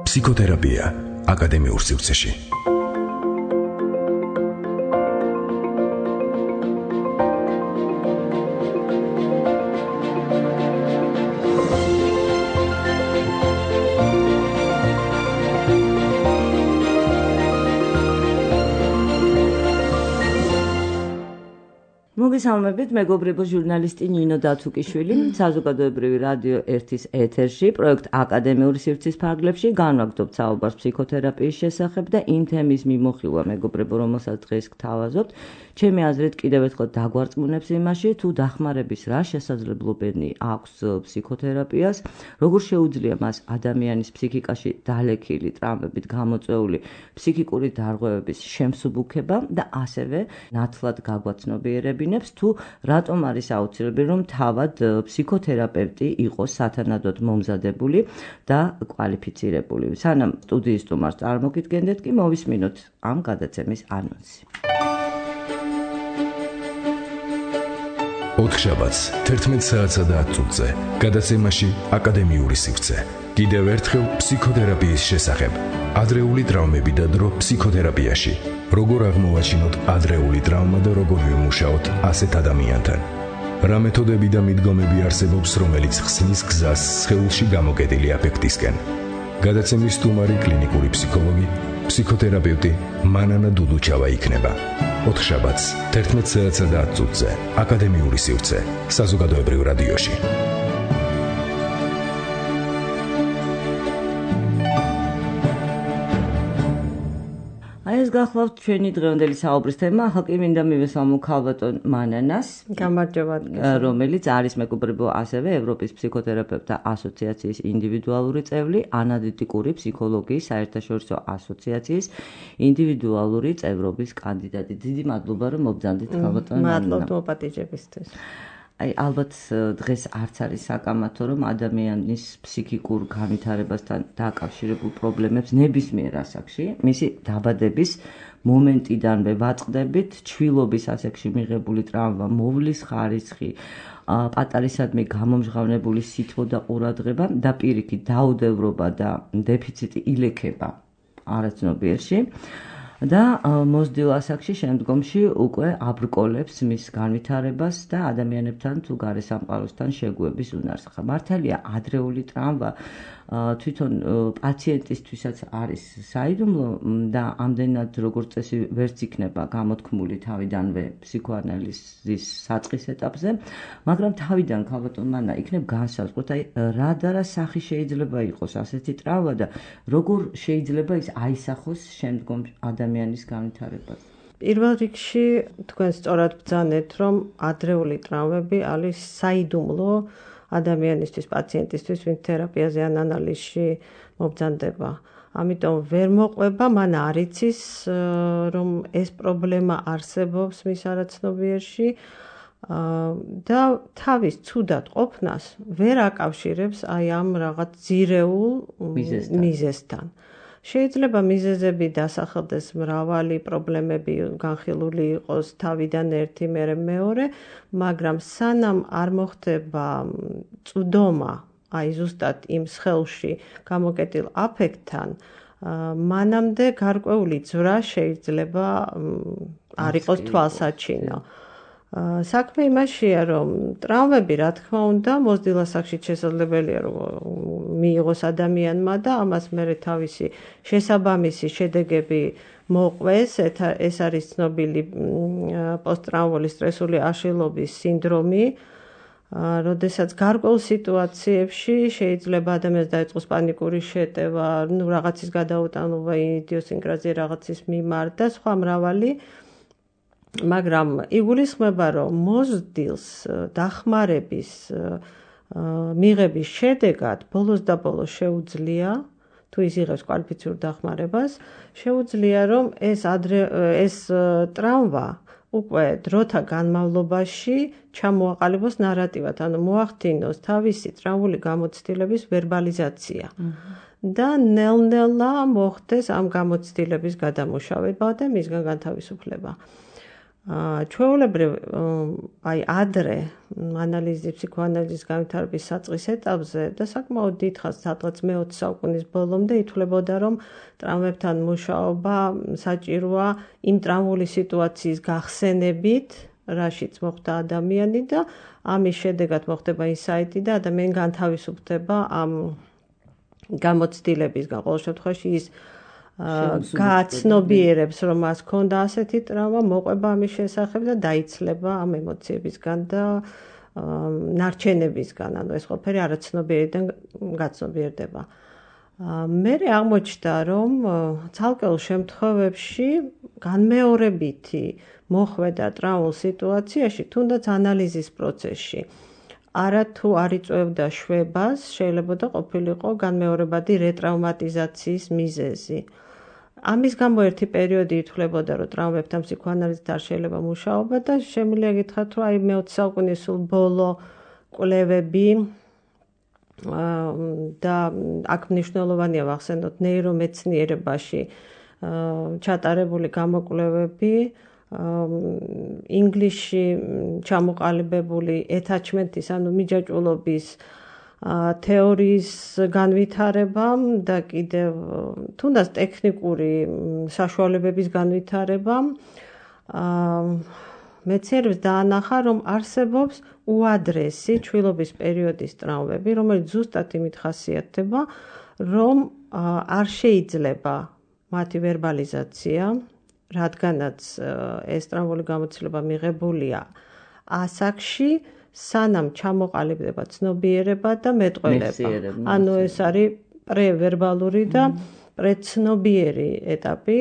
ფსიქოთერაპია აკადემიურ სივრცეში. მოგესალმებით, მეგობრებო, ჟურნალისტი ნინო დათუკიშვილი, საზოგადოებრივი რადიო 1-ის ეთერში, პროექტ აკადემიური სივრცის ფარგლებში განვაგრძობთ საუბარს ფსიქოთერაპიის შესახებ და იმ თემის მიმოხილვა, მეგობრებო, რომელსაც დღეს გთავაზობთ, ჩემი აზრით კიდევ ერთხელ დაგვარწმუნებს იმაში, თუ დახმარების რა შესაძლებლობანი აქვს ფსიქოთერაპიას, როგორ შეუძლია მას ადამიანის ფსიქიკაში დალექილი ტრამვებით გამოწვეული ფსიქიკური დარღვევების შემსუბუქება და ასევე ნათლად გაგვაცნობიერებინებს თუ რატომ არის აუცილებელი რომ თავად ფსიქოთერაპევტი იყოს სათანადოდ მომზადებული და კვალიფიცირებული. სანამ სტუდიის სტუმარს წარმოგიდგენდეთ კი მოვისმინოთ ამ გადაცემის ანონსი. ოთხშაბათს 11 საათსა და 10 წუთზე გადაცემაში აკადემიური სივრცე. კიდევ ერთხელ ფსიქოთერაპიის შესახებ. ადრეული ტრავმები და დრო ფსიქოთერაპიაში. როგორ აღმოვაჩინოთ ადრეული ტრავმა და როგორ ვიმუშაოთ ასეთ ადამიანთან. რა მეთოდები და მიდგომები არსებობს, რომელიც ხსნის გზას სხეულში გამოკეტილი აფექტისკენ. გადაცემის სტუმარი კლინიკური ფსიქოლოგი, ფსიქოთერაპევტი მანანა დუდუჩავა იქნება. ოთხშაბათს 11 საათსა და 10 წუთზე აკადემიური სივრცე საზოგადოებრივ რადიოში. ეს გახლავთ ჩვენი დღევანდელი საუბრის თემა, ახლა კი მინდა მივესალმო ქალბატონ მანანას, გამარჯობა, რომელიც არის მეგობრებო ასევე ევროპის ფსიქოთერაპევტთა ასოციაციის ინდივიდუალური წევრი, ანალიტიკური ფსიქოლოგიის საერთაშორისო ასოციაციის ინდივიდუალური წევრობის კანდიდატი. დიდი მადლობა რომ მობრძანდით ქალბატონ მანანა. მადლობთ მოპატიჟებისთვის. ალბათ დღეს არც არის საკამათო რომ ადამიანის ფსიქიკურ განვითარებასთან დაკავშირებულ პრობლემებს ნებისმიერ ასაკში, მისი დაბადების მომენტიდანვე ვაწყდებით, ჩვილობის ასაკში მიღებული ტრავმა, მოვლის ხარისხი, პატარისადმი გამომჟღავნებული სითბო და ყურადღება და პირიქით დაუდევრობა და დეფიციტი ილექება არაცნობიერში. და მოზრდილ ასაკში შემდგომში უკვე აბრკოლებს მის განვითარებას და ადამიანებთან თუ გარესამყაროსთან შეგუების უნარს. მართალია ადრეული ტრავმა თვითონ პაციენტისთვისაც არის საიდუმლო და ამდენად როგორც წესი ვერც იქნება გამოთქმული თავიდანვე ფსიქოანალიზის საწყის ეტაპზე, მაგრამ თავიდან ქალბატონ მანა იქნებ განსაზღვროთ, რა და რა სახის შეიძლება იყოს ასეთი ტრავმა და როგორ შეიძლება ის აისახოს შემდგომ ადამიანის განვითარებას. პირველ რიგში თქვენ სწორად ბრძანეთ, რომ ადრეული ტრავმები არის საიდუმლო ადამიანისთვის, პაციენტისთვის, ვინც თერაპიაზე ან ანალიზში მობრძანდება. ამიტომ ვერ მოყვება, მან არ იცის, რომ ეს პრობლემა არსებობს მის არაცნობიერში და თავის ცუდად ყოფნას ვერ აკავშირებს აი ამ რაღაც ძირეულ მიზეზთან. შეიძლება მიზეზები დასახელდეს მრავალი, პრობლემები განხილული იყოს თავიდან ერთი, მერე მეორე, მაგრამ სანამ არ მოხდება წვდომა, აი ზუსტად იმ სხეულში გამოკეტილ აფექტთან, მანამდე გარკვეული ძვრა შეიძლება არ იყოს თვალსაჩინო. საქმე იმაშია, რომ ტრავმები, რა თქმა უნდა, მოზრდილ ასაკში შესაძლებელია რომ მიიღოს ადამიანმა და ამას მერე თავისი შესაბამისი შედეგები მოყვეს. ეს არის ცნობილი პოსტტრაუმული სტრესული აშლილობის სინდრომი, როდესაც გარკვეულ სიტუაციებში შეიძლება ადამიანს დაეწყოს პანიკური შეტევა, რაღაცის გადაუტანობა, იდიოსინკრაზია რაღაცის მიმართ და სხვა მრავალი. მაგრამ იგულისხმება, რომ მოზრდილს დახმარების მიღების შედეგად ბოლოს და ბოლოს შეუძლია, თუ ის იღებს კვალიფიცირებულ დახმარებას, შეუძლია რომ ეს ტრავმა უკვე დროთა განმავლობაში ჩამოაყალიბოს ნარატივად, ანუ მოახდინოს თავისი ტრავმული გამოცდილების ვერბალიზაცია. და ნელ-ნელა მოხდეს ამ გამოცდილების გადამუშავება და მისგან განთავისუფლება. ჩვეულებრივ აი ადრე ფსიქოანალიზის განვითარების საწყის ეტაპზე და საკმაოდ დიდხანს სადღაც მე-20 საუკუნის ბოლომდე ითვლებოდა, რომ ტრავმებთან მუშაობა საჭიროა იმ ტრავმული სიტუაციის გახსენებით, რაშიც მოხვდა ადამიანი და ამის შედეგად მოხდება ინსაიტი და ადამიანი განთავისუფლდება ამ გამოცდილებისგან. ყოველ შემთხვევაში ის გააცნობიერებს, რომ მას ჰქონდა ასეთი ტრავმა, მოყვება ამის შესახებ და დაიცლება ამ ემოციებისგან და ნარჩენებისგან, ანუ ეს ყველაფერი არაცნობიერიდან გაცნობიერდება. მერე აღმოჩნდა, რომ ცალკეულ შემთხვევებში განმეორებითი მოხვედა ტრავმულ სიტუაციაში, თუნდაც ანალიზის პროცესში, არათუ არ იწვევდა შვებას, შეიძლება და ყოფილიყო განმეორებადი რეტრაუმატიზაციის მიზეზი. ამის გამო ერთი პერიოდი ითვლებოდა, რომ ტრავმებთან ფსიქოანალიზით არ შეიძლება მუშაობა და შემიძლია გითხრათ, რომ აი მე-20 საუკუნის სულ ბოლო კვლევები და აქ მნიშვნელოვანია ვახსენოთ ნეირომეცნიერებაში ჩატარებული გამოკვლევები, ინგლისში ჩამოყალიბებული attachment-ის, ანუ მიჯაჭვულობის თეორიის განვითარებამ და კიდევ თუნდაც ტექნიკური საშუალებების განვითარებამ მეცნიერებს დაანახა, რომ არსებობს უადრესი ჩვილობის პერიოდის ტრავმები, რომელიც ზუსტად იმით ხასიათდება, რომ არ შეიძლება მათი ვერბალიზაცია, რადგანაც ეს ტრავმული გამოცდილება მიღებულია ასაკში, სანამ ჩამოყალიბდება ცნობიერება და მეტყველება. ანუ ეს არის პრევერბალური და პრეცნობიერი ეტაპი.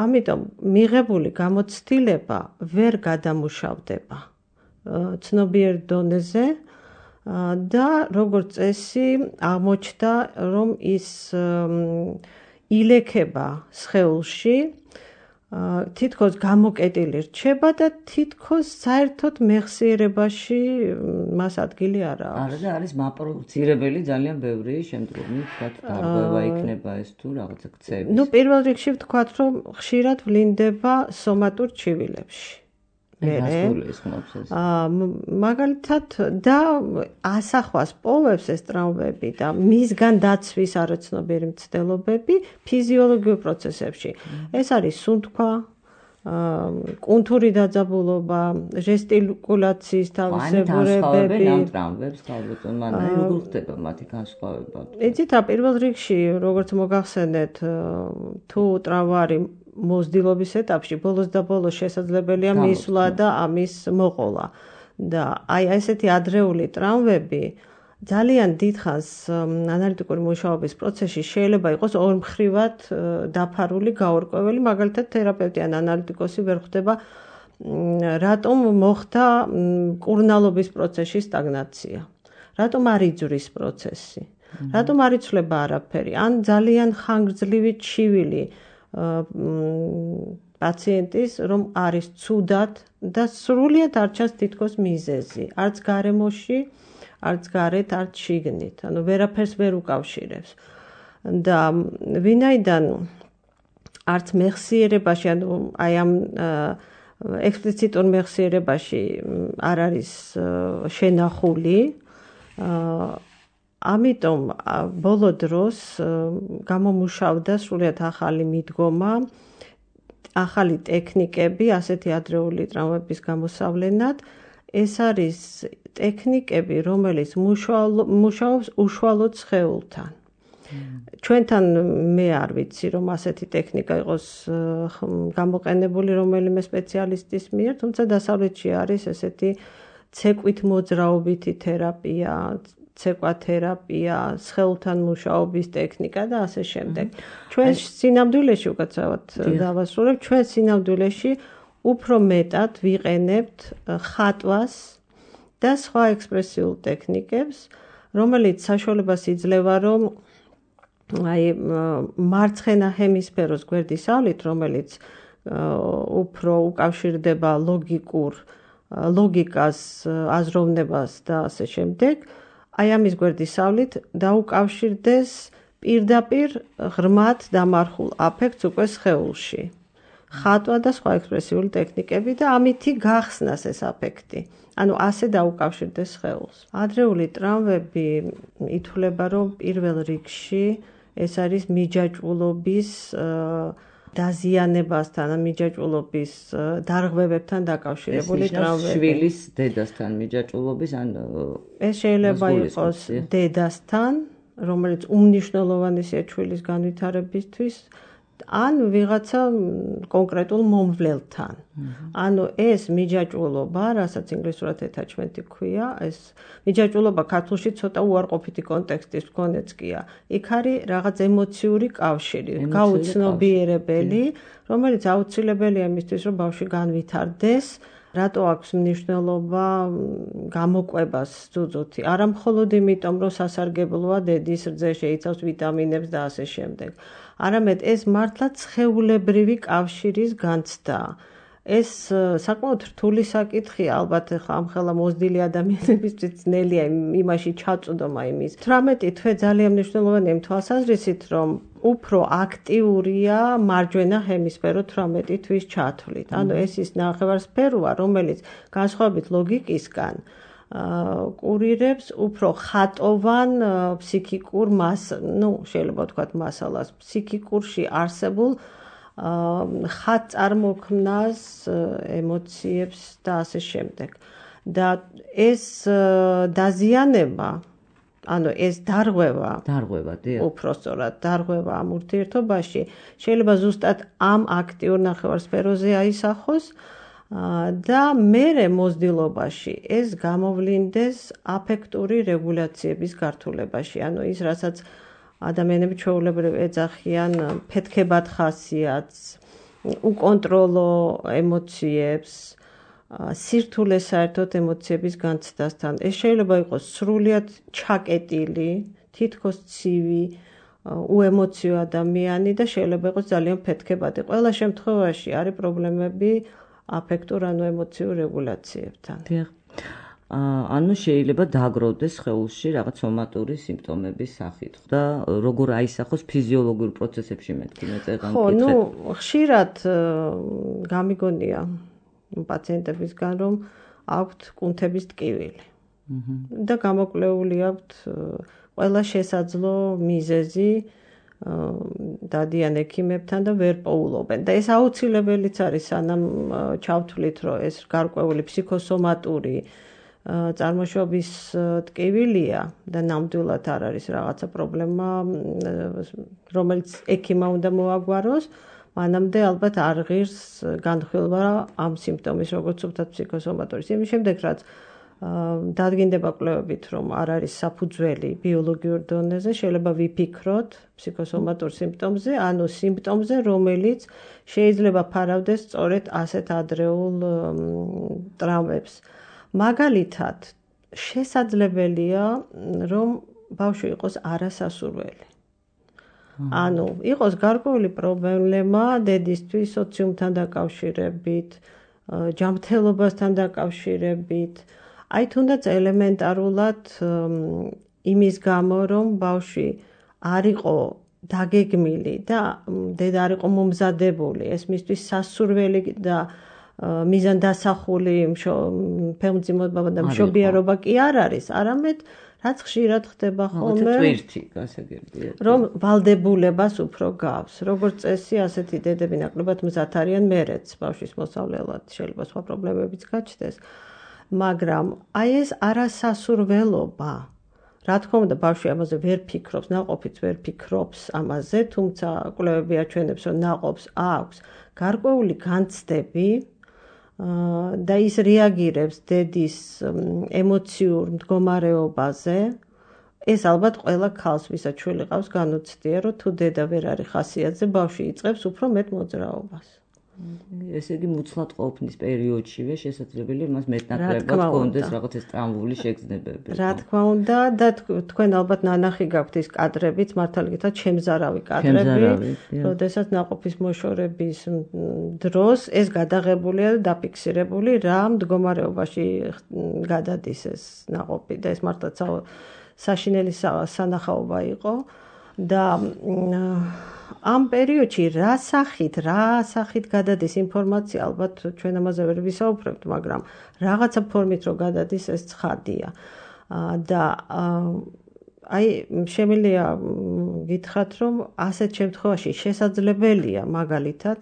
ამიტომ მიღებული გამოცდილება ვერ გადამუშავდება ცნობიერ დონეზე და როგორც წესი აღმოჩნდა, რომ ის ილექება სხეულში, თითქოს გამოკეტილი რჩება და თითქოს საერთოდ მეხსიერებაში მას ადგილი არ აქვს. არა და არის მაპროვოცირებელი ძალიან ბევრი შემდგომი თქვათ გარღვევა იქნება ეს თუ რაღაცა ქცევი. ნუ პირველ რიგში ვთქვათ, რომ ხშირად ვლინდება სომატურ ჩივილებში. მაგალითად და ასახვას პოვებს ეს ტრავმები და მისგან დაცვის არაცნობიერი მცდელობები ფიზიოლოგიურ პროცესებში. ეს არის სუნთქვა, კუნთური დაძაბულობა, ჟესტიკულაციის თავისებურებები. ამ ტრავმებს ხალხთან მანაი როგორ ხდება მათი განსხვავება? იცით რა, პირველ რიგში როგორც მოგახსენეთ, თუ ტრავმა არის მოზრდილობის ეტაპში, ბოლოს და ბოლოს შესაძლებელია მისვლა და ამის მოყოლა. და აი ესეთი ადრეული ტრავმები ძალიან დიდხანს ანალიტიკური მუშაობის პროცესში შეიძლება იყოს ორმხრივად დაფარული, გაურკვეველი, მაგალითად თერაპევტი ან ანალიტიკოსი ვერ ხვდება, რატომ მოხდა კურნალობის პროცესში სტაგნაცია, რატომ არ იძვრის პროცესი, რატომ არ იცვლება არაფერი, ან ძალიან ხანგრძლივი ჩივილი პაციენტის, რომ არის ცუდად და სრულიად არ ჩანს თითქოს მიზეზი, არც გარემოში, არც გარეთ, არც შიგნით, ანუ ვერაფერს ვერ უკავშირებს. და ვინაიდან არც მეხსიერებაში, ანუ აი ამ ექსპლიციტურ მეხსიერებაში არ არის შენახული, ამიტომ ბოლო დროს გამომუშავდა სრულიად ახალი მიდგომა, ახალი ტექნიკები ასეთი ადრეული ტრავმების გამოსავლენად. ეს არის ტექნიკები, რომელიც მუშაობს უშუალოდ სხეულთან. ჩვენთან მე არ ვიცი, რომ ასეთი ტექნიკა იყოს გამოყენებული რომელიმე სპეციალისტის მიერ, თუმცა დასავლეთში არის ესეთი ცეკვით მოძრაობითი თერაპია, ცეკვათერაპია, სხეულთან მუშაობის ტექნიკა და ასე შემდეგ. ჩვენ სინამდვილეში უკაცრავად დავასრულებ, ჩვენ სინამდვილეში უფრო მეტად ვიყენებთ ხატვას და სხვა ექსპრესიულ ტექნიკებს, რომელიც საშუალებას იძლევა, რომ აი მარცხენა ჰემისფეროს გვერდისავლით, რომელიც უფრო უკავშირდება ლოგიკას, აზროვნებას და ასე შემდეგ, აი ამის გვერდისავლით დაუკავშირდეს პირდაპირ ღრმად დამარხულ აფექტს უკვე სხეულში. ხატვა და სხვა ექსპრესიული ტექნიკები და ამითი გახსნას ეს აფექტი. ანუ ასე დაუკავშირდეს სხეულს. ადრეული ტრავმები ითვლება, რომ პირველ რიგში ეს არის მიჯაჭვულობის დაზიანებასთან, მიჯაჭვულობის დარღვევებთან დაკავშირებული ტრავმები. შვილის დედასთან მიჯაჭვულობის ან ეს შეიძლება იყოს დედასთან, რომელიც უმნიშვნელოვანი შვილის განვითარებისთვის, ან ვიღაცა კონკრეტულ მომვლელთან. ანუ ეს მიჯაჭვულობა, რასაც ინგლისურად attachment-ი ქვია, ეს მიჯაჭვულობა ქართულში ცოტა უარყოფითი კონტექსტის მქონეც კია. იქ არის რაღაც ემოციური კავშირი, გაუცნობიერებელი, რომელიც აუცილებელია იმისთვის, რომ ბავშვი განვითარდეს. რატო აქვს მნიშვნელობა გამოკვებას ძუძუთი? არა მხოლოდ იმიტომ, რომ სასარგებლოა დედის რძე, შეიცავს ვიტამინებს და ასე შემდეგ. არამედ ეს მართლა სხეულებრივი კავშირის განცდა. ეს საკმაოდ რთული საკითხია, ალბათ ამხელა მოზრდილი ადამიანებისთვის ძნელია იმაში ჩაწვდომა იმის. 18 თვე ძალიან მნიშვნელოვანია იმ თვალსაზრისით, რომ უფრო აქტიურია მარჯვენა ჰემისფერო 18 თვის ჩათვლით. ანუ ეს ის ნახევარსფეროა, რომელიც განსხვავებით ლოგიკისგან კურირებს უფრო ხატოვან ფსიქიკურ შეიძლება ვთქვათ მასალას, ფსიქიკურში არსებულ ხატწარმოქმნას, ემოციებს და ასე შემდეგ. და ეს დაზიანება, ანუ ეს დარღვევა, უფრო სწორად, დარღვევა ამ ურთიერთობაში შეიძლება ზუსტად ამ აქტიურ ნახევარსფეროზე აისახოს და მერე მოზრდილობაში ეს გამოვლინდეს აფექტური რეგულაციების გართულებაში. ანუ ის, რასაც ადამიანები ჩვეულებრივ ეძახიან ფეთქებად ხასიათს, უკონტროლო ემოციებს, სირთულეს საერთოდ ემოციების განცდასთან. ეს შეიძლება იყოს სრულიად ჩაკეტილი, თითქოს ცივი, უემოციო ადამიანი და შეიძლება იყოს ძალიან ფეთქებადი. ყველა შემთხვევაში არის პრობლემები აფექტურ ანუ ემოციურ რეგულაციებთან. ანუ შეიძლება დაგროვდეს სხეულში რაღაც სომატური სიმპტომების სახით და როგორ აისახოს ფიზიოლოგიურ პროცესებში მეთქი მეწეღან კითხეთ. ხო, ხშირად გამიგონია პაციენტებისგან, რომ აქვთ კუნთების ტკივილი. და გამოკვლეული აქვთ ყველა შესაძლო მიზეზი დადიან ექიმებთან და ვერ პოულობენ. და ეს აუცილებელიც არის, სანამ ჩავთვლით, რომ ეს გარკვეული ფსიქოსომატური წარმოშობის ტკივილია და ნამდვილად არ არის რაღაცა პრობლემა, რომელიც ექიმმა უნდა მოაგვაროს, მანამდე ალბათ არ ღირს განხილვა ამ სიმპტომის, როგორც ვთქვათ, ფსიქოსომატურის. იმის შემდეგ, რაც დადგინდება კვლევებით, რომ არ არის საფუძველი ბიოლოგიურ დონეზე, შეიძლება ვიფიქროთ ფსიქოსომატურ სიმპტომზე, ანუ სიმპტომზე, რომელიც შეიძლება ფარავდეს სწორედ ასეთ ადრეულ ტრავმებს. მაგალითად, შესაძლებელია, რომ ბავშვი იყოს არასასურველი. ანუ იყოს გარკვეული პრობლემა დედისთვის სოციუმთან დაკავშირებით, ჯანმრთელობასთან დაკავშირებით, აი თუნდაც ელემენტარულად იმის გამო, რომ ბავშვი არ იყო დაგეგმილი და დედა არ იყო მომზადებული, ეს მისთვის სასურველი და მიზანდასახული ფემძიმობა და მშობიარობა კი არ არის, არამედ რაც ხშირად ხდება ხოლმე, რომ ვალდებულებას უფრო გავს. როგორც წესი, ასეთი დედები ნაკლებად მზად არიან მერეც ბავშვის მოსავლელად, შეიძლება სხვა პრობლემებიც გაჩნდეს. მაგრამ აი ეს არასასურველობა, რა თქმა უნდა, ბავშვი ამაზე ვერ ფიქრობს, ნაყოფიც ვერ ფიქრობს ამაზე, თუმცა კვლევები აჩვენებს, რომ ნაყოფს აქვს გარკვეული განცდები და ის რეაგირებს დედის ემოციურ მდგომარეობაზე. ეს ალბათ ყველა ქალს, ვისაც შვილი ყავს, განუცდია, რომ თუ დედა ვერ არის ხასიათზე, ბავშვი იწყებს უფრო მეტ მოძრაობას. ესე იგი მუცლად ყოფნის პერიოდშივე შესაძლებელია მას მეტნაკლებად ჰქონდეს რაღაც ეს ტრამვული შეგრძნებები. რა თქმა უნდა და თქვენ ალბათ ნანახი გაქვთ ის კადრებიც, მართალი გითხრათ, შემზარავი კადრები, როდესაც ნაყოფის მოშორების დროს ეს გადაღებულია და დაფიქსირებული რა მდგომარეობაში გადადის ეს ნაყოფი და ეს მართლაც საშინელი სანახაობა იყო და ამ პერიოდში რა სახით გადადის ინფორმაცია, ალბათ ჩვენ ამაზე ვერ ვისაუბრებთ, მაგრამ რაღაცა ფორმით რო გადადის ეს ცხადია. და აი შემიძლია გითხრათ, რომ ასეთ შემთხვევაში შესაძლებელია მაგალითად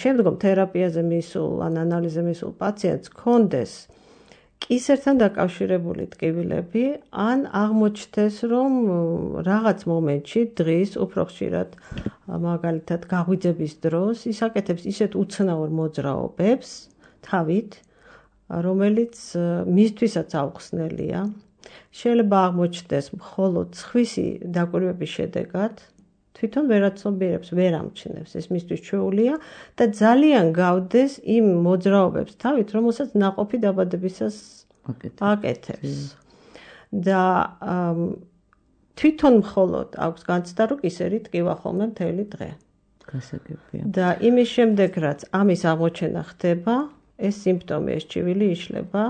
შემდგომ თერაპიაზე მისულ ან ანალიზზე მისულ პაციენტს ჰქონდეს კისერთან დაკავშირებული ტკივილები, ან აღმოჩნდეს, რომ რაღაც მომენტში დღის უფრო ხშირად მაგალითად გაღვიძების დროს ის აკეთებს ისეთ უცნაურ მოძრაობებს თავით, რომელიც მისთვისაც აუხსნელია. შეიძლება აღმოჩნდეს მხოლოდ სხვისი დაკვირვების შედეგად, თვითონ ვერაცნობიერებს, ვერ ამჩნევს, ეს მისთვის ჩვეულია და ძალიან გავდეს იმ მოძრაობებს თავით, რომელსაც ნაყოფი დაბადებისას აკეთებს. და თვითონ მხოლოდ აქვს განცდა, რომ ისერი ტკივა ხოლმე მთელი დღე. გასაგებია. და იმის შემდეგ, რაც ამის აღმოჩენა ხდება, ეს სიმპტომი, ეს ჭივილი იშლება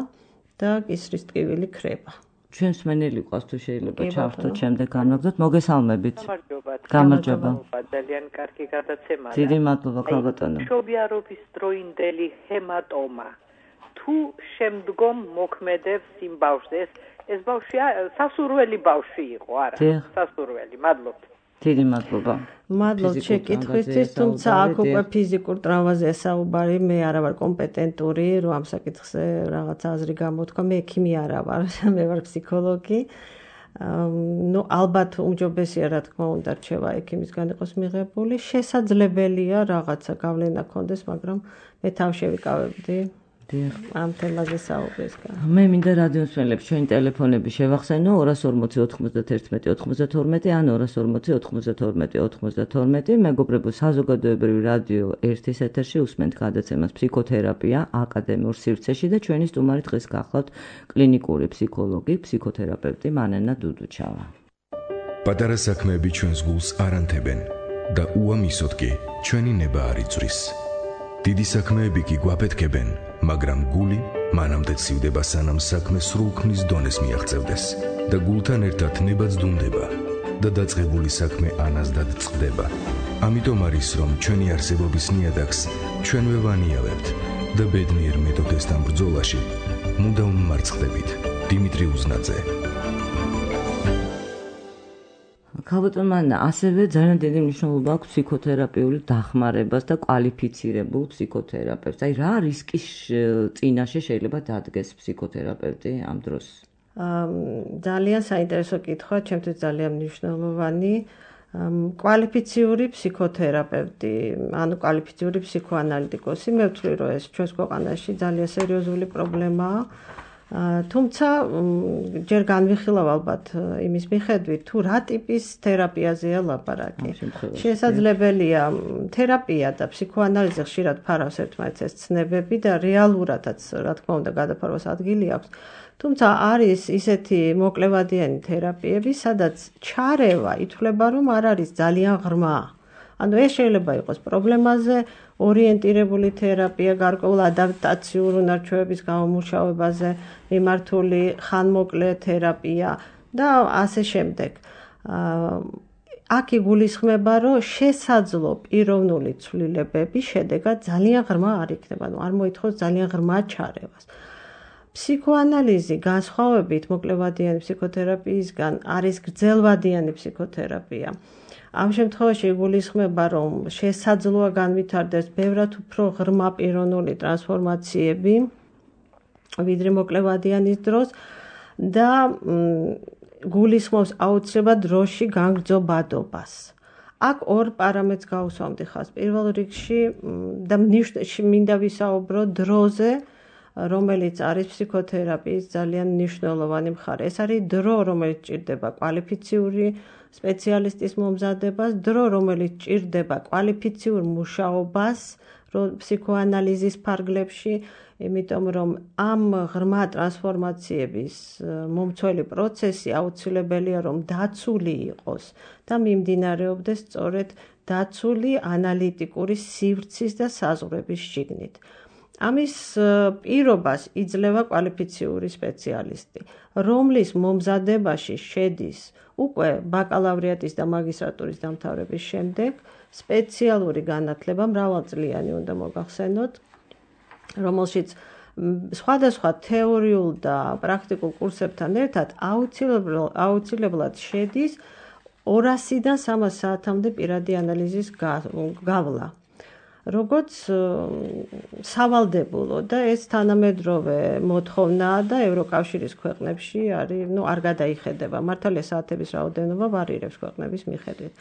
და კისრის ტკივილი ქრება. ჩვენს მენელი ყავს თუ შეიძლება ჩავთოთ შემდეგ განვაგრძოთ. მოგესალმებით. გამარჯობა. ძალიან კარგი გადაცემაა. დიდი მადლობა ქალბატონო. მშობიარობის დროინდელი ჰემატომა. თუ შემდგომ მოქმედებს იმ ბავშვს, ეს ბავშვი სასურველი ბავშვი იყო, არა? სასურველი. მადლობთ. დიდი მადლობა. მადლობთ შეკითხვისთვის, თუმცა აქ უკვე ფიზიკურ ტრავმაზეა საუბარი, მე არა ვარ კომპეტენტური, რომ ამ საკითხზე რაღაც აზრი გამოთქვა, მე ექიმი არა ვარ, მე ვარ ფსიქოლოგი. ნუ ალბათ უმჯობესია, რა თქმა უნდა, რჩევა ექიმისგან იყოს მიღებული, შესაძლებელია რაღაცა გავლენა ქონდეს, მაგრამ მე თავში ვიკავებდი ამ თემაზე საუბრისგან. მე მინდა რადიოსმენელებს ჩვენი ტელეფონები შევახსენო 240 91 92 ან 240 92 92. მეგობრებო, საზოგადოებრივი რადიო 1-ის ეთერში უსმენთ გადაცემას ფსიქოთერაპია აკადემიურ სივრცეში და ჩვენი სტუმარი დღეს გახლავთ კლინიკური ფსიქოლოგი, ფსიქოთერაპევტი მანენა დუდუჩავა. პატარა საქმეები ჩვენს გულს არ ანთებენ და უამისოდ კი ჩვენი ნება არ იწვრის. დიდი საქმეები კი გვაფეთქებენ, მაგრამ გული მანამდე ცივდება, სანამ საქმე სრულქმნის დონეს მიაღწევდეს და გულთან ერთად ნება ძდუნდება და დაწყებული საქმე ანაზდად წყდება. ამიტომ არის, რომ ჩვენი არსებობის ნიადაგს ჩვენვე ვანიავებთ და ბედნიერ მეთოდესთან ბრძოლაში მუდამ მარცხდებით. დიმიტრი უზნაძე. ქალბატონო, ასევე ძალიან დიდი მნიშვნელობა აქვს ფსიქოთერაპიული დახმარებას და კვალიფიცირებულ ფსიქოთერაპევტს. აი რა რისკის წინაშე შეიძლება დადგეს ფსიქოთერაპევტი ამ დროს? ძალიან საინტერესო კითხვა, ჩემთვის ძალიან მნიშვნელოვანი. კვალიფიციური ფსიქოთერაპევტი, ანუ კვალიფიციური ფსიქოანალიტიკოსი, მე ვთვლი, რომ ეს ჩვენს ქვეყანაში ძალიან სერიოზული პრობლემაა. თუმცა ჯერ განვიხილავ ალბათ იმის მიხედვით, თუ რა ტიპის თერაპიაზეა ლაპარაკი. შესაძლებელია თერაპია და ფსიქოანალიზი ხშირად ფარავს ერთმანეთს ეს ცნებები და რეალურადაც, რა თქმა უნდა, გადაფარვას ადგილი აქვს. თუმცა არის ისეთი მოკლევადიანი თერაპიები, სადაც ჩარევა ითვლება, რომ არ არის ძალიან ღრმა. ანუ ეს შეიძლება იყოს პრობლემაზე ორიენტირებული თერაპია, გარკვეულ ადაპტაციურ უნარჩვევების გამომუშავებაზე მიმართული ხანმოკლე თერაპია და ასე შემდეგ. აქ იგულისხმება, რომ შესაძლო პიროვნული ცვლილებები შედეგად ძალიან ღრმა არ იქნება, ანუ არ მოითხოვს ძალიან ღრმა ჩარევას. ფსიქოანალიზი განსხვავებით მოკლევადიანი ფსიქოთერაპიისგან არის გრძელვადიანი ფსიქოთერაპია. ამ შემთხვევაში იგულისხმება, რომ შესაძლოა განვითარდეს ბევრად უფრო ღრმა პიროვნული ტრანსფორმაციები ვიდრე მოკლევადიანის დროს და გულისხმობს აუცილებლად დროში განგრძობადობას. აქ ორ პარამეტრს გავუსვამდი ხაზს. პირველ რიგში და მინდა ვისაუბრო დროზე, რომელიც არის ფსიქოთერაპიის ძალიან მნიშვნელოვანი მხარე. ეს არის დრო, რომელიც ჭირდება კვალიფიციური სპეციალისტის მომზადებას, დრო, რომელიც ჭირდება კვალიფიციურ მუშაობას ფსიქოანალიზის ფარგლებში, იმიტომ რომ ამ ღრმა ტრანსფორმაციების მომცველი პროცესი აუცილებელია, რომ დაცული იყოს და მიმდინარეობდეს სწორედ დაცული ანალიტიკური სივრცის და საზღვრების შიგნით. ამის პირობას იძლევა კვალიფიციური სპეციალისტი, რომლის მომზადებაში შედის უკვე ბაკალავრიატის და მაგისტრატურის დამთავრების შემდეგ სპეციალური განათლება მრავალწლიანი უნდა მოგახსენოთ, რომელშიც სხვადასხვა თეორიულ და პრაქტიკულ კურსებთან ერთად აუცილებლად შედის 200-დან 300 საათამდე პირადი ანალიზის გავლა. Როგორც სავალდებულო და ეს თანამედროვე მოთხოვნაა და ევროკავშირის ქვეყნებში არ გადაიხედება. მართალია საათების რაოდენობა ვარირებს ქვეყნების მიხედვით.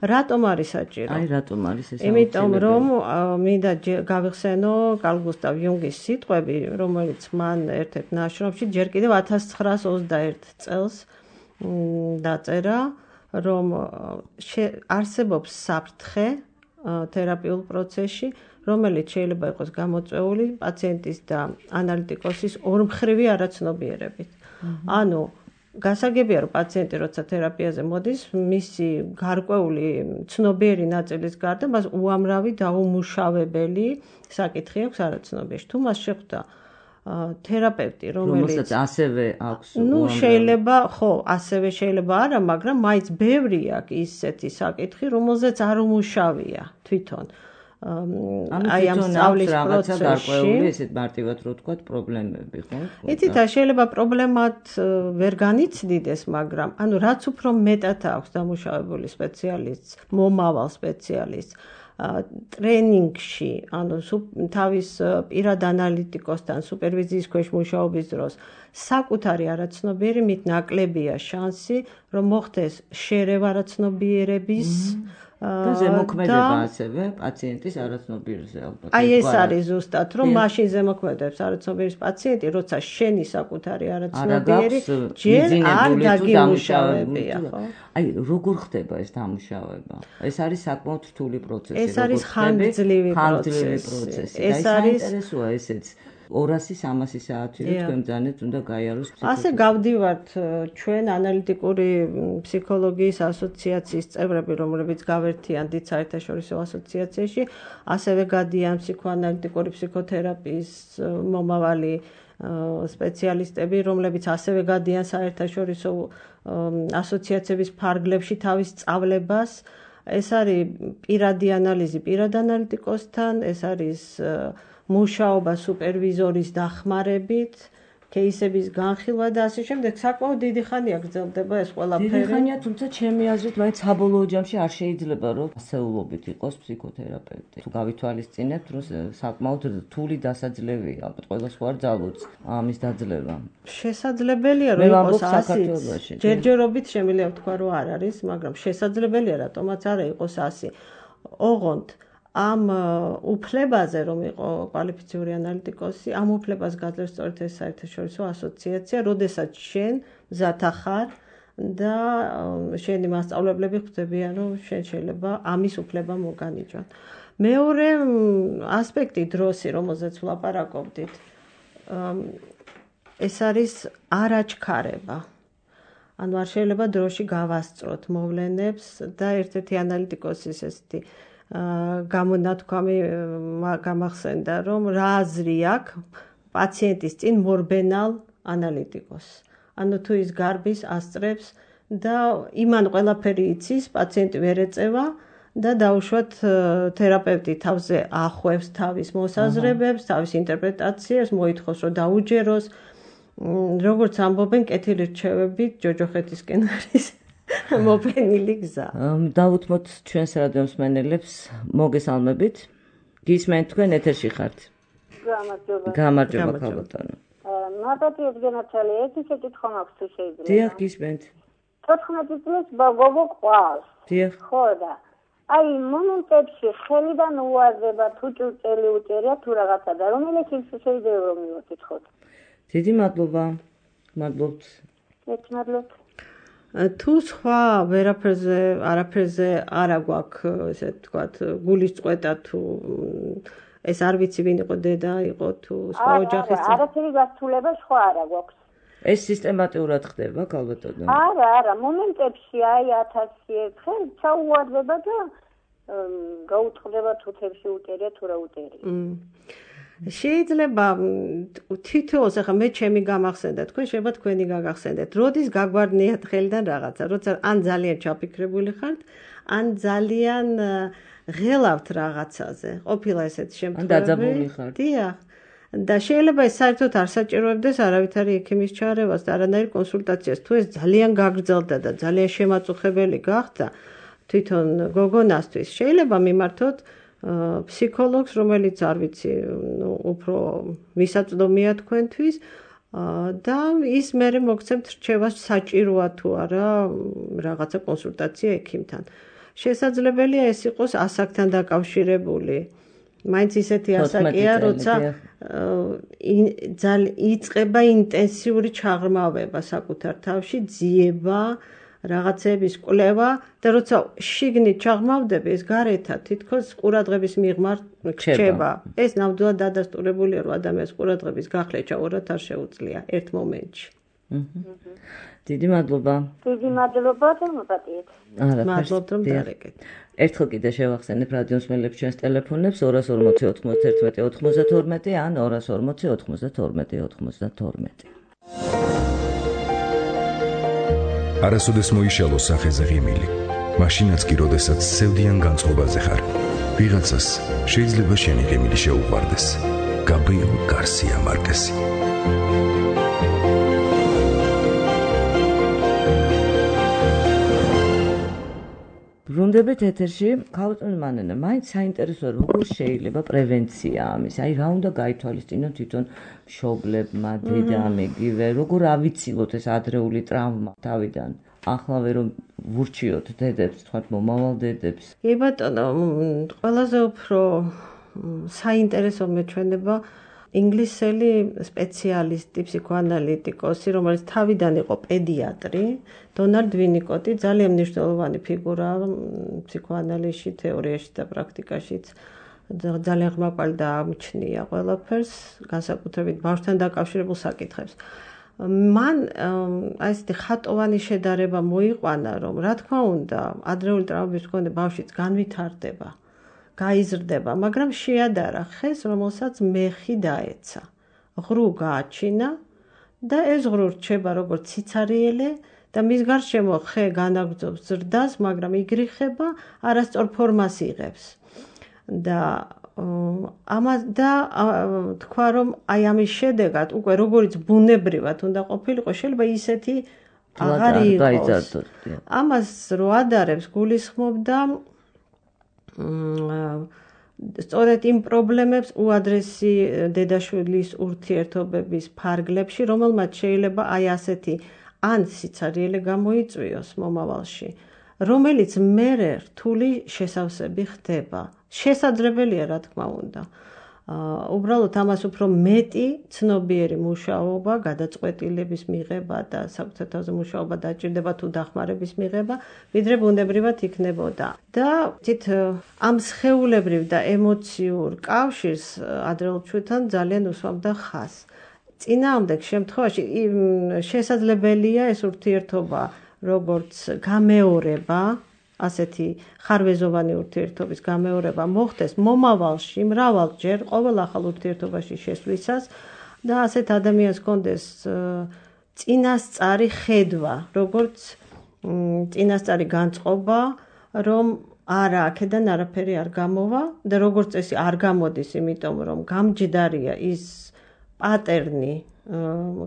რატომ არის საჭირო? რატომ არის ეს? იმიტომ რომ მინდა გავიხსენო კარლ გუსტავ იუნგის სიტყვები, რომელიც მან ერთ-ერთ ნაშრომში ჯერ კიდევ 1921 წელს დაწერა, რომ არსებობს საფრთხე თერაპიულ პროცესში, რომელიც შეიძლება იყოს გამოწვეული პაციენტის და ანალიტიკოსის ორმხრივი არაცნობიერებით. ანუ გასაგებია, რომ პაციენტი როცა თერაპიაზე მოდის, მისი გარკვეული ცნობიერი ნაწილის გარდა მას უამრავი დაუმუშავებელი საკითხი აქვს არაცნობიერში. თუ მას შეხვდა თერაპევტი, რომელსაც ასევე აქვს შეიძლება, ასევე შეიძლება არა, მაგრამ მაინც ბევრი აქვს ისეთი საკითხი, რომელზეც არ უმუშავია თვითონ. აი ამ სწავლის პროცესში ესეთ მარტივად რო ვთქვათ, პრობლემები, ხო? იცით, შეიძლება პრობლემად ვერ განიცდიდეს, მაგრამ ანუ რაც უფრო მეტად აქვს დამუშავებული სპეციალისტს, მომავალ სპეციალისტს ტრენინგში, ანუ თავის პირად ანალიტიკოსთან სუპერვიზიის ქვეშ მუშაობის დროს საკუთარი არაცნობიერი მით ნაკლებია შანსი, რომ მოხდეს შერევა არაცნობიერების და ზემოქმედება ასევე პაციენტის არაცნობიერზე ალბათ. აი ეს არის ზუსტად, რომ მაშინ ზემოქმედებს არაცნობიერის პაციენტი, როცა შენი საკუთარი არაცნობიერი ჯერ არ დაგიმუშავებია, ხო? აი როგორ ხდება ეს დამუშავება? ეს არის საკმაოდ რთული პროცესი, ეს არის ხანგრძლივი პროცესი. ეს არის საინტერესოა ესეც. 200-300 საათი რომ თქვენ ბრძანეთ უნდა გაიაროს ფსიქოლოგი. ასე გავდივართ ჩვენ ანალიტიკური ფსიქოლოგიის ასოციაციის წევრები, რომლებიც გავერთიან დიდ საერთაშორისო ასოციაციაში, ასევე გადიან ფსიქოანალიტიკური ფსიქოთერაპიის მომავალი სპეციალისტები, რომლებიც ასევე გადიან საერთაშორისო ასოციაციების ფარგლებში თავის სწავლებას. ეს არის პირადი ანალიზი პირად ანალიტიკოსთან, ეს არის მუშაობა სუპერვიზორის დახმარებით, кейსების განხილვა და ასე შემდეგ. საკმაოდ დიდი ხანია გრძელდება ეს ყველაფერი. დიდი ხანია, თუმცა ჩემი აზრით, მაინც საბოლოო ჯამში არ შეიძლება, რომ ასეულობით იყოს ფსიქოთერაპევტი. თუ გავითვალისწინებთ, რომ საკმაოდ რთული დასაძლევია, ალბათ ყველას ხო არ ძალუძს ამის დაძლევა. შესაძლებელია, რომ იყოს 100. ჯერჯერობით შემიძლია ვთქვა, რომ არ არის, მაგრამ შესაძლებელია, რატომაც არა იყოს 100. ოღონდ ამ უფლებაზე რომ იყო კვალიფიციური ანალიტიკოსი, ამ უფლებას გაძლევს სწორედ ეს საერთაშორისო ასოციაცია, როდესაც შენ მზათა ხარ და შენი მასწავლებლები ხვდებიან, რომ შენ შეიძლება ამის უფლება მოგანიჭონ. მეორე ასპექტი დროსი, რომელზეც ვლაპარაკობდით, ეს არის არაჩქარება. ანუ არ შეიძლება დროში გავასწროთ მოვლენებს და ერთ-ერთი ანალიტიკოსის ესეთი გამონათქვამი გამახსენდა, რომ რა აზრი აქვს პაციენტის წინ მორბენალ ანალიტიკოს. ანუ თუ ის გარბის, ასწრებს და იმან ყველაფერი იცის, პაციენტი ვერ ეწევა და დაუშვათ თერაპევტი თავზე ახვევს თავის მოსაზრებებს, თავის ინტერპრეტაციებს, მოითხოვს, რომ დაუჯეროს. როგორც ამბობენ, კეთილი რჩევებით ჯოჯოხეთისკენ არის მოფენილი გზა. დავუთმოთ ჩვენს რადიო მსმენელებს, მოგესალმებით. გისმენთ თქვენ ეთერში ხართ. გამარჯობა ქალბატონო. მადლობა ედგენაცალი, ერთი საკითხი მაქვს თუ შეიძლება. დიახ, გისმენთ. 14 წლის გოგო ყავს. დიახ. ხო და აი მომენტებში ხელიდან უაზრება თუ ჭურჭელი უჭერია თუ რაღაცა და რომელიც ის შეიძლება რომ მივაკითხოთ. დიდი მადლობა. მადლობთ. მადლობთ. თუ სხვა არაფერზე არა გვაქვს, ესე ვთქვათ, გულის წყვეტა თუ ეს არ ვიცი ვინ იყო დედა, იყო თუ სხვა ოჯახის წევრი. არაფერი გასცულება სხვა არა გვაქვს. ეს სისტემატურად ხდება, ქალბატონო? არა, მომენტებში აი 1000 ერთხელ ჩაუვარდება და გაუწყდება თუ თებში უტერია თუ რა უტერია. შეიძლება თითოეულს ახლა მე ჩემი გამახსენდა, თქვენ შეიძლება თქვენი გაგახსენდეთ. როდის გაგვარდნიათ ხელიდან რაღაცა, როცა ან ძალიან ჩაფიქრებული ხართ, ან ძალიან ღელავთ რაღაცაზე. ყოფილა ესეთი შემთხვევები. ან დაძაბული ხართ. დიახ. და შეიძლება ეს საერთოდ არ საჭიროებდეს არავითარი ექიმის ჩარევას და არანაირ კონსულტაციას. თუ ეს ძალიან გაგრძელდა და ძალიან შემაწუხებელი გახდა თვითონ გოგონასთვის, შეიძლება მიმართოთ ფსიქოლოგს, რომელიც არ ვიცი, უფრო მისაწვდომია თქვენთვის და ის მერე მოგცემთ რჩევას საჭიროა თუ არა რაღაცა კონსულტაცია ექიმთან. შესაძლებელია ეს იყოს ასაკთან დაკავშირებული. მაინც ისეთი ასაკია, როცა იწყება ინტენსიური ჩაღრმავება საკუთარ თავში, ძიება, რაღაცების კვლევა და როცა შიგნით ჩაღრმავდები, ეს გარეთად თითქოს ყურადღების მიღმა რჩება. ეს ნამდვილად დადასტურებულია, რომ ადამიანს ყურადღების გახლა ჩაურათ არ შეუძლია ერთ მომენტში. დიდი მადლობა. დიდი მადლობა და მოგატიეთ. მადლობთ რომ დარეკეთ. ერთხელ კიდე შევახსენებ რადიოს მელებს ჩვენს ტელეფონებს 240 91 92 ან 240 92 92. არასოდეს მოიშალო სახეზე ღიმილი. მაშინაც კი როდესაც სევდიან განწყობაზე ხარ. ვიღაცას შეიძლება შენი ღიმილი შეუყვარდეს. გაბრიელ გარსია მარკესი. ბრუნდებით ეთერში, ქალწული მანენა, მაინც საინტერესოა როგორ შეიძლება პრევენცია ამის. აი რა უნდა გაითვალისწინოთ თვითონ მშობლებმა, დედამ, იგივე, როგორ ავიცილოთ ეს ადრეული ტრავმა თავიდან. ახლავე რომ ვურჩიოთ დედებს, თქვათ მომავალ დედებს. კი ბატონო, ყველაზე უფრო საინტერესო მეჩვენება ინგლისელი სპეციალისტი, ფსიქოანალიტიკოსი, რომელიც თავიდან იყო პედიატრი, დონალდ ვინიკოტი, ძალიან მნიშვნელოვანი ფიგურაა ფსიქოანალიზში, თეორიაში და პრაქტიკაშიც. ძალიან ღმაყვალი და ამჩნია ყველაფერს, განსაკუთრებით ბავშვთან დაკავშირებულ საკითხებს. მან აი ესეთი ხატოვანი შედარება მოიყვანა, რომ რა თქმა უნდა, ადრეული ტრავმების მქონე ბავშვიც განვითარდება. გაიზრდება, მაგრამ შეადარა ხეს, რომელსაც მეხი დაეცა. ღრუ გააჩინა და ეს ღრუ რჩება როგორც სიცარიელე და მის გარშემო ხე განაგრძობს ზრდას, მაგრამ იგრიხება, არასწორ ფორმას იღებს. და თქვა, რომ აი ამის შედეგად უკვე როგორც ბუნებრივად უნდა ყოფილიყო, შეიძლება ისეთი აღარ იყოს. ამას რო ადარებს გულისხმობდა სწორედ იმ პრობლემებს უადრესი დედაშვილის ურთიერთობების ფარგლებში, რომელმაც შეიძლება აი ასეთი ან სიცარიელე გამოიწვიოს მომავალში, რომელიც მერე რთული შესავსები ხდება. შესაძლებელია, რა თქმა უნდა. უბრალოდ ამას უფრო მეტი ცნობიერი მუშაობა, გადაწყვეტილების მიღება და საკუთარ თავზე მუშაობა დაჭირდება თუ დახმარების მიღება, ვიდრე ბუნებრივად იქნებოდა. და თით ამ სხეულებრივ და ემოციურ კავშირს ადრეულ ჩვენთან ძალიან უსვამდა ხაზს. წინააღმდეგ შემთხვევაში შესაძლებელია ეს ურთიერთობა როგორც გამეორება, ასეთი ხარვეზოვანი ურთიერთობის გამეორება მოხდეს მომავალში მრავალჯერ ყოველ ახალ ურთიერთობაში შესვლისას და ასეთ ადამიანს კონდეს წინასწარი ხედვა, როგორც წინასწარი განწყობა, რომ არა აქედან არაფერი არ გამოვა და როგორც წესი არ გამოდის, იმიტომ რომ გამჯდარია ის პატერნი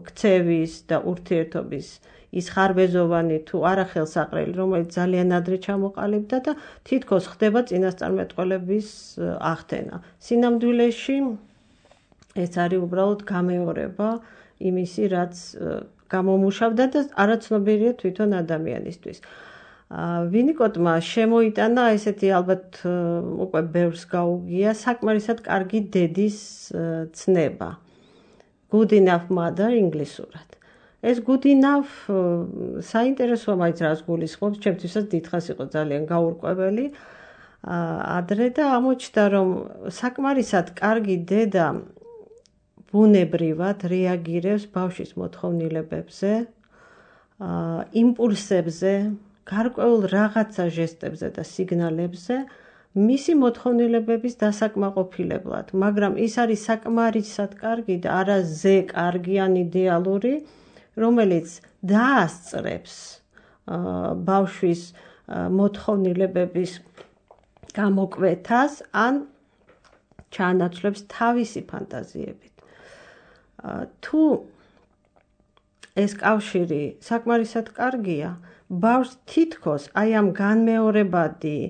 ქცევის და ურთიერთობის ის ხარბეზოვანი თუ არახელსაყრელი, რომელიც ძალიან ადრე ჩამოყალიბდა და თითქოს ხდება წინასწარმეტყველების ახდენა. სინამდვილეში ეს არის უბრალოდ გამეორება იმისი, რაც გამომუშავდა და არაცნობიერია თვითონ ადამიანისთვის. ვინიკოტმა შემოიტანა ესეთი ალბათ უკვე ბევრს გაუგია საკმარისად კარგი დედის ცნება. Good enough mother ინგლისურად. ეს good enough საინტერესოა მაინც რას გულისხმობს, ჩემთვისაც დიდხანს იყო ძალიან გაურკვეველი. ადრე და ამოჩნდა, რომ საკმარისად კარგი დედა ბუნებრივად რეაგირებს ბავშვის მოთხოვნილებებზე, იმპულსებზე, გარკვეულ რაღაცა ჟესტებზე და სიგნალებზე, მისი მოთხოვნილებების დასაკმაყოფილებლად, მაგრამ ის არის საკმარისად კარგი და არა ზე კარგი ან იდეალური, რომელიც დაასწრებს ბავშვის მოთხოვნილებების გამოკვეთას ან ჩაანაცვლებს თავისი ფანტაზიებით. თუ ეს კავშირი საკმარისად კარგია, ბავშვს თითქოს აი ამ განმეორებადი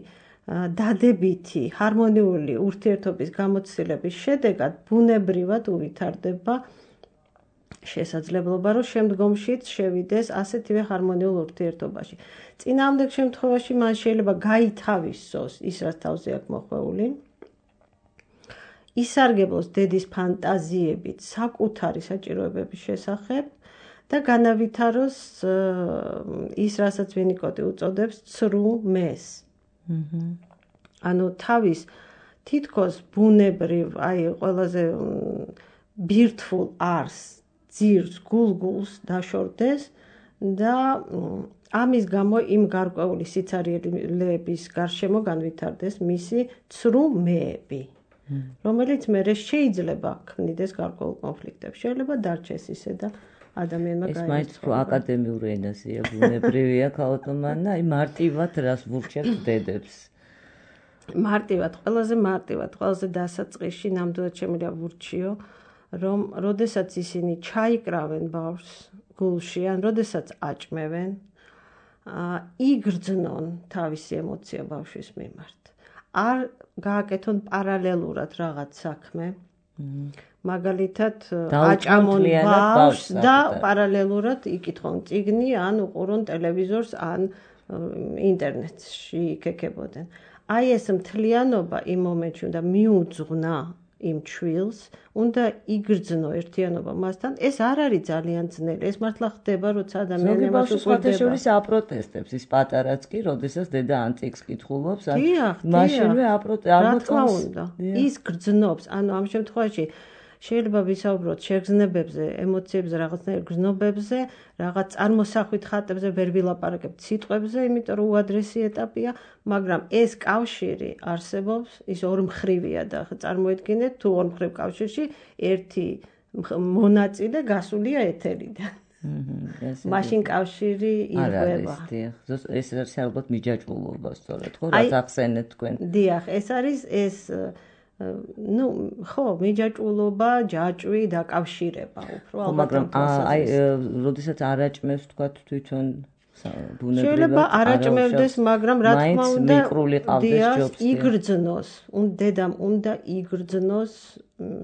დადებითი ჰარმონიული ურთიერთობის გამოცდილების შედეგად ბუნებრივად უვითარდება შესაძლებლობა, რომ შემდგომშიც შევიდეს ასეთივე ჰარმონიულ ურთიერთობაში. წინააღმდეგ შემთხვევაში მან შეიძლება გაითავისოს ის, რაც თავზე აქვს მოხვეული, ისარგებლოს დედის ფანტაზიებით საკუთარი საჭიროებების შესახებ და განავითაროს ის, რასაც ვინიკოტი უწოდებს ცრუ მეს. ანუ თავის თითქოს ბუნებრივ, აი ყველაზე ბირთვულ არს, ძირს, გულგულს დაშორდეს და ამის გამო იმ გარკვეული სიცარიელების გარშემო განვითარდეს მისი ცრუ მეები, რომელიც მერე შეიძლება ქმნიდეს გარკვეულ კონფლიქტებს. შეიძლება დარჩეს ისე და ადამიანმა ეს მაინც აკადემიური ენაზეა, ბუნებრივია ქალბატონმა, აი მარტივად რას ვურჩევთ დედებს. მარტივად, ყველაზე დასაწყისში ნამდვილად შემიძლია ვურჩიო, რომ როდესაც ისინი ჩაიკრავენ ბავშვს გულში, ან როდესაც აჭმევენ, იგრძნონ თავისი ემოცია ბავშვის მიმართ. არ გააკეთონ პარალელურად რაღაც საქმე, მაგალითად აჭამონ ბავშვს და პარალელურად იკითხონ წიგნი, ან უყურონ ტელევიზორს, ან ინტერნეტში იქეკებოდნენ. აი ეს მთლიანობა იმ მომენტში უნდა მიუძღვნა იმ ჩვილს, უნდა იგრძნო ერთიანობა მასთან. ეს არ არის ძალიან ძნელი, ეს მართლა ხდება, როცა ადამიანი მას უყურდება. აპროტესტებს ის პატარაც კი, როდესაც დედა ანტიკს კითხულობს, მაშინვე აპროტესტებს. ის გრძნობს, ანუ ამ შემთხვევაში შეიძლება ვისაუბროთ შეგრძნებებზე, ემოციებზე, რაღაცნაირ გრძნობებზე, რაღაც წარმოსახვით ხატებზე, ვერ ვილაპარაკებთ სიტყვებზე, იმიტომ რომ უადრესი ეტაპია, მაგრამ ეს კავშირი არსებობს, ის ორმხრივია და წარმოიდგინეთ, თუ ორმხრივ კავშირში ერთი მონაწილე გასულია ეთერიდან. მაშინ კავშირი ირღვევა. ეს არის ალბათ მიჯაჭვულობა, სწორედ, ხო, რაც ახსენეთ თქვენ. დიახ, ეს არის ეს ხო, მიჯაჭვულობა, ჯაჭვი, დაკავშირება უფრო ალბათ. მაგრამ აი, როდესაც არ აჭმევს თქვა თვითონ ბუნებრივად. შეიძლება არ აჭმევდეს, მაგრამ რა თქმა უნდა, იგრძნოს, დედამ უნდა იგრძნოს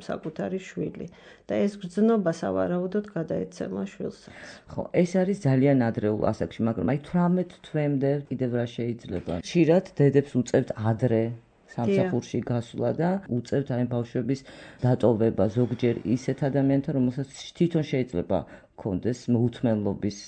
საკუთარი შვილი და ეს გრძნობა სავარაუდოდ გადაეცემა შვილსაც. ხო, ეს არის ძალიან ადრეულ ასაკში, მაგრამ აი 18 თვემდე კიდევ რა შეიძლება? ხშირად დედებს უწევთ ადრე სამსახურში გასვლა და უწევთ აი ბავშვების დატოვება ზოგჯერ ისეთ ადამიანთან, რომელსაც თვითონ შეიძლება ქონდეს მოუთმენლობის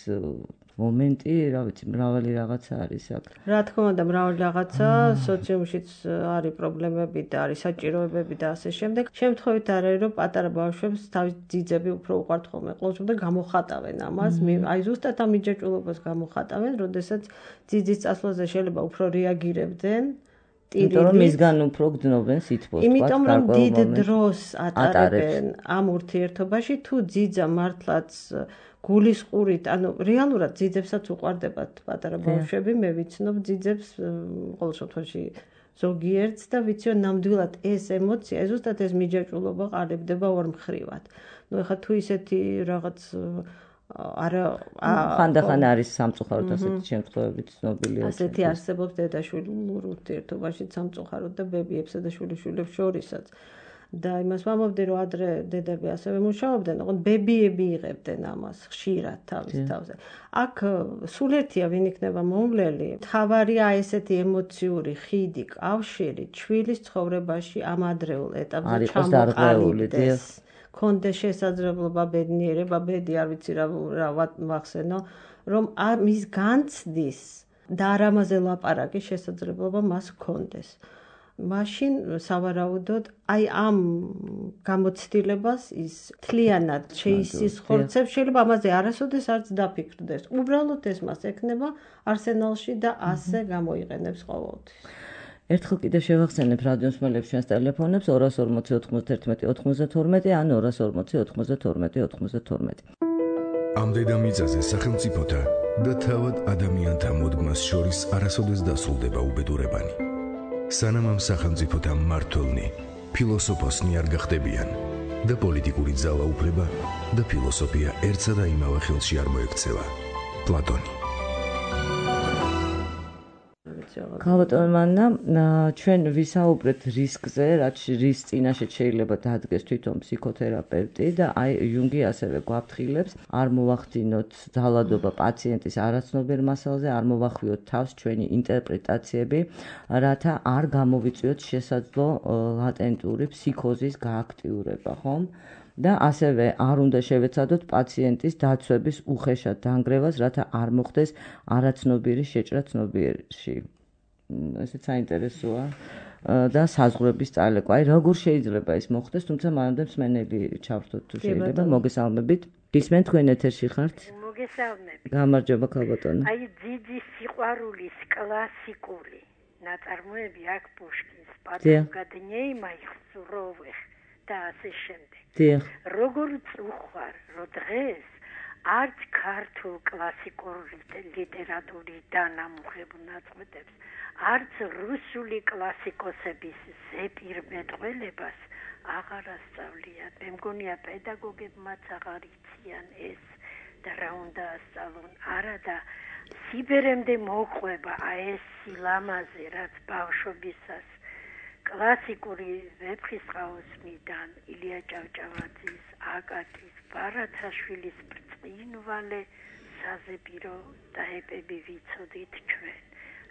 მომენტი, რა ვიცი, მრავალი რაღაცა არის აქ. რა თქმა უნდა, მრავალი რაღაცა, სოციუმშიც არის პრობლემები და არის საჭიროებები და ასე შემდეგ. შემთხვევით არ არის, რომ პატარა ბავშვებს თავის ძიძები უფრო უყვართ ხოლმე, ყოველთვის და გამოხატავენ ამას, აი ზუსტად ამ მიჯაჭვულობას გამოხატავენ, როდესაც ძიძის წასვლაზე შეიძლება უფრო რეაგირებდნენ. იმიტომ რომ მისგან უფრო გძნობენ სითბოს, იმიტომ რომ დიდ დროს ატარებენ ამ ურთიერთობაში, თუ ძიძა მართლაც გულისყურით, ანუ რეალურად ძიძებსაც უყვარდებათ პატარა ბავშვები, მე ვიცნობ ძიძებს ყოველ შემთხვევაში ზოგიერთს და ვიცი რომ ნამდვილად ეს ემოცია, ზუსტად ეს მიჯაჭვულობა ყალიბდება ორმხრივად. ნუ ეხლა თუ ისეთი რაღაც ხანდახან არის სამწუხაროდ ასეთი შემთხვევებით ცნობილია. ასეთი არსებობს დედა-შვილურ ურთიერთობაში სამწუხაროდ და ბებიებსა და შვილიშვილებს შორისაც. და იმას ვამბობდი, რომ ადრე დედები ასევე მუშაობდნენ, ოღონდ ბებიები იღებდნენ ამას ხშირად თავის თავზე. აქ სულ ერთია ვინ იქნება მომვლელი. თავარია ესეთი ემოციური ხიდი, კავშირი ჩვილის ცხოვრებაში ამ ადრეულ ეტაპზე ჩამოყალიბდეს. კონდეს შესაძლებლობა ბედნიერება, ბედი არ ვიცი რა ვახსენო, რომ მის განცდის და არ ამაზე ლაპარაკის შესაძლებლობა მას კონდეს. მაშინ სავარაუდოდ აი ამ გამოცდილებას ის თლიანად შეისისხორცებს, შეიძლება ამაზე არასოდეს არც დაფიქრდეს. უბრალოდ ეს მას ექნება არსენალში და ასე გამოიყენებს ყოველთვის. ერთხელ კიდევ შევახსენებ რადიოს მსმენელებს ჩვენს ტელეფონებს 240 91 92 ან 240 92 92. ამ დედამიწაზე სახელმწიფოთა და თავად ადამიანთა მოდგმას შორის არასოდეს დასრულდება უბედურებანი. სანამ ამ სახელმწიფოთა მმართველნი ფილოსოფოსნი არ გახდებიან და პოლიტიკური ძალაუფლება და ფილოსოფია ერთსა და იმავე ხელში არ მოექცევა. პლატონი. ქალბატონო მანნა, ჩვენ ვისაუბრეთ რისკზე, რაც რის წინაშე შეიძლება დადგეს თვითონ ფსიქოთერაპევტი და აი იუნგი ასევე გვაფრთხილებს, არ მოვახდინოთ ძალადობა პაციენტის არაცნობერ მასალზე, არ მოვახვიოთ თავს ჩვენი ინტერპრეტაციები, რათა არ გამოვიწვიოთ შესაძლო ლატენტური ფსიქოზის გააქტიურება, ხომ? და ასევე არ უნდა შევეცადოთ პაციენტის დაცვების უხეშად დანგრევას, რათა არ მოხდეს არაცნობიერი შეჭრა ცნობიერში. ესეც საინტერესოა და საზღვრების წალეკვა. აი როგორ შეიძლება ეს მოხდეს, თუმცა მანამდე მსმენელი ჩავრთოთ თუ შეიძლება. მოგესალმებით. ისმენ თქვენ ეთერში ხართ? მოგესალმებით. გამარჯობა ქალბატონო. აი ძიძი სიყვარულის კლასიკური ნაწარმოები აქ პუშკინს პადაგადნიეი მაიხსუროვეხ და ასე შემდეგ. როგორც უხვარ, რომ დღეს არც ქართულ კლასიკურ ლიტერატურის დანამუხებულ ნაწყვეტებს, არც რუსული კლასიკოსების ზეპირმეტყველებას აღარ ასწავლიათ. მე მგონია პედაგოგებმაც აღარ იციან ეს და რა უნდა ასწავლონ. არა და სიბერემდე მოყვება ეს სილამაზე, რაც ბავშვობისას კლასიკური ვეფხისტყაოსნიდან ილია ჭავჭავაძის, აკაკის, ბარათაშვილის ბრწყინვალე საზეპირო დაეპები ვიცოდით ჩვენ.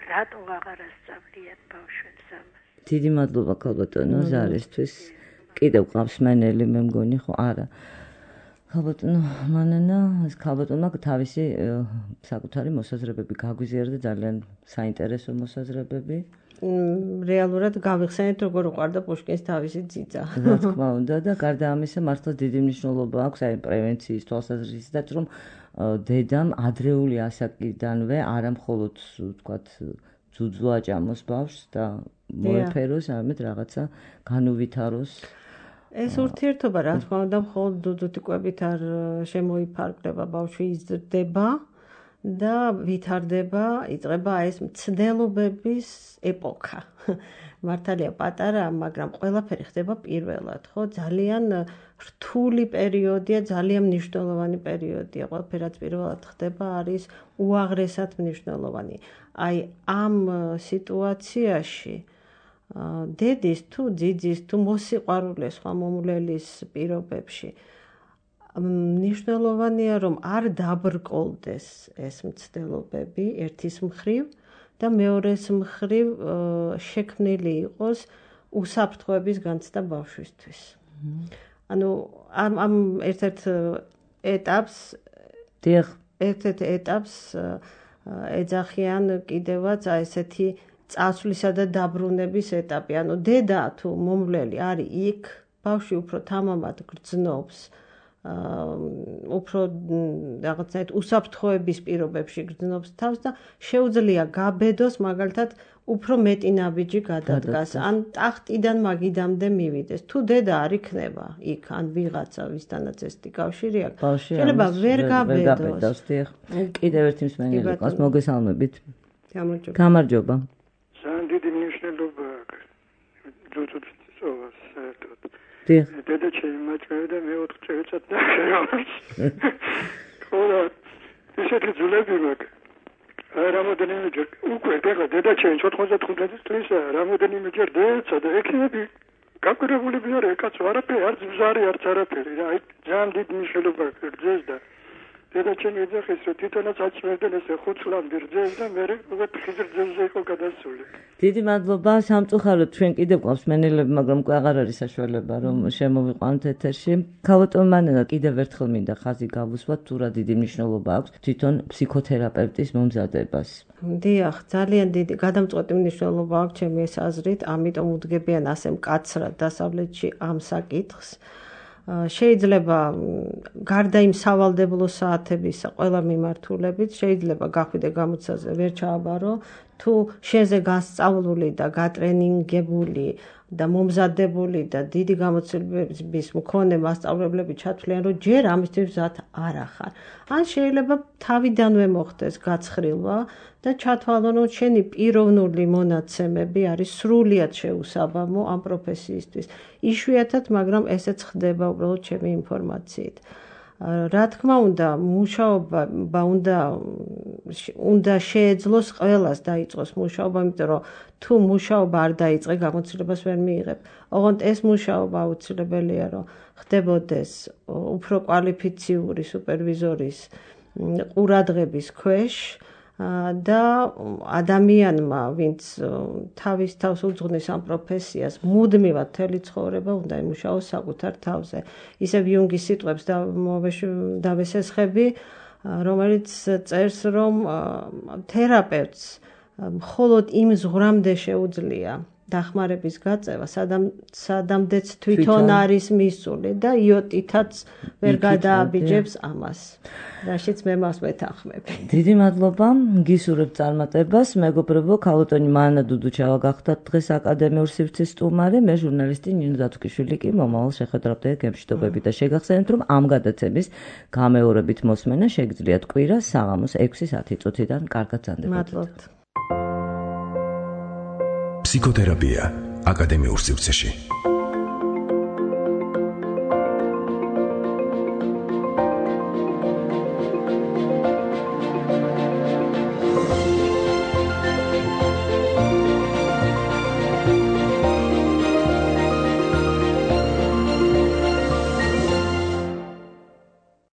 რატო აღარ ასწავლიათ ბავშვებს ამას? დიდი მადლობა ქალბატონო ზარისთვის. კიდევ ყავს მენელი მე მგონი ხო? არა. ქალბატონო მანანა, ეს ქალბატონმა თავისი საკუთარი მოსაზრებები გაგვიზიარდა, ძალიან საინტერესო მოსაზრებები. რეალურად გავიხსენეთ როგორ უყარდა პუშკინს თავისი ძიძა. რა თქმა უნდა და გარდა ამისა მართლა დიდი მნიშვნელობა აქვს აი პრევენციის თვალსაზრისითაც რომ დედამ ადრეული ასაკიდანვე არა მხოლოდ ვთქვათ ძუძუ აჭამოს ბავშვს და მოეფეროს, არამედ რაღაცა განუვითაროს. ეს ურთიერთობა რა თქმა უნდა მხოლოდ დუდუტიკვებით არ შემოიფარგლება, ბავშვი იზრდება და ვითარდება, იწყება ეს მცდელობების ეპოქა. მართალია პატარა, მაგრამ ყველაფერი ხდება პირველად, ხო? ძალიან რთული პერიოდია, ძალიან მნიშვნელოვანი პერიოდია. ყველაფერი რაც პირველად ხდება არის უაღრესად მნიშვნელოვანი. აი ამ სიტუაციაში დედის თუ ძიძის თუ მოსიყვარულეს სხვა მომვლელის პირობებში მნიშვნელოვანია რომ არ დაბრკოლდეს ეს მცდელობები ერთის მხრივ და მეორეს მხრივ შექმნილი იყოს უსაფრთხოების განცდა ბავშვისთვის. ანუ ამ ერთ-ერთ ეტაპს ეძახიან კიდევაც ესეთი წასვლისა და დაბრუნების ეტაპი. ანუ დედა თუ მომვლელი არის იქ, ბავშვი უფრო თამამად გრძნობს, უფრო რაღაცნაირად უსაფრთხოების პირობებში გრძნობს თავს და შეუძლია გაბედოს მაგალითად უფრო მეტი ნაბიჯი გადადგას, ან ტახტიდან მაგიდამდე მივიდეს. თუ დედა არ იქნება იქ, ან ვიღაცა ვისთანაც ესეთი კავშირი აქვს, შეიძლება ვერ გაბედოს. კიდევ ერთი მსმენელი ყავს, მოგესალმებით. გამარჯობა. ძალიან დიდი მნიშვნელობა აქვს ძუძუწოვას საერთოდ. დედა შეიმაჭრე და მე 4 წელიწად ნახევარს. ხოლო ისეთი ძულები მაქვს. რამოდენიმეჯერ უკვე დედა ჩემ 95 წლისა რამოდენიმეჯერ დეცა და ექიმები გაკვირვებულები არ ეკაცო არაფერი არც ბზარი არც არაფერი. აი ძალიან დიდი მნიშვნელობა აქვს და დედა ჩემი ეძახის რომ თვითონაც აჭმევდნენ ესე 5 წლამდე რძეს და მე უკვე ხიზრძეზე იყო გადასული. დიდი მადლობა სამწუხაროდ ჩვენ კიდევ ყავს მენელები, მაგრამ უკვე აღარ არის საშუალება რომ შემოვიყვანოთ ეთერში. ქალბატონო მანანა კიდევ ერთხელ მინდა ხაზი გავუსვათ თუ რა დიდი მნიშვნელობა აქვს თვითონ ფსიქოთერაპევტის მომზადებას. დიახ, ძალიან დიდი გადამწყვეტი მნიშვნელობა აქვს ჩემი ეს აზრით, ამიტომ უდგებიან ასე მკაცრად დასავლეთში ამ საკითხს. შეიძლება გარდა იმ სავალდებულო საათებისა ყველა მიმართულებით შეიძლება გახვიდე გამოცაზე ვერ ჩააბარო თუ შენზე გასწავლული და გატრენინგებული და მომზადებული და დიდი გამოცდილების მქონე მასწავლებლები ჩათვლიან, რომ ჯერ ამისთვის მზად არ ახარ. ან შეიძლება თავიდანვე მოხდეს გაცხრილვა და ჩათვალონ, რომ შენი პიროვნული მონაცემები არის სრულიად შეუსაბამო ამ პროფესიისთვის. იშვიათად, მაგრამ ესეც ხდება უბრალოდ ჩემი ინფორმაციით. რა თქმა უნდა, მუშაობა უნდა შეეძლოს ყველას დაიწყოს მუშაობა, იმიტომ რომ თუ მუშაობა არ დაიწყე, გამოცდილებას ვერ მიიღებ. ოღონდ ეს მუშაობა აუცილებელია, რომ ხდებოდეს უფრო კვალიფიციური სუპერვიზორის ყურადღების ქვეშ და ადამიანმა, ვინც თავის თავს უძღვნის ამ პროფესიას, მუდმივად მთელი ცხოვრება უნდა იმუშაოს საკუთარ თავზე. ისევ იუნგის სიტყვებს დავესესხები, რომელიც წერს, რომ თერაპევტს მხოლოდ იმ ზღვრამდე შეუძლია დახმარების გაწევა, სადამდეც თვითონ არის მისული და იოტითაც ვერ გადააბიჯებს ამას. რაშიც მე მას ვეთანხმები. დიდი მადლობა, გისურვებთ წარმატებას. მეგობრებო, ქალბატონი მანა დუდუჩავა გახდათ დღეს აკადემიურ სივრცის სტუმარი, მე ჟურნალისტი ნინო დათუქიშვილი კი მომავალ შეხვედრამდე გემშვიდობები და შეგახსენებთ, რომ ამ გადაცემის გამეორებით მოსმენა შეგიძლიათ კვირას საღამოს 6:10 წუთიდან. კარგად ზანდებოდეთ. მადლობთ. ფსიქოთერაპია აკადემიურ სივრცეში.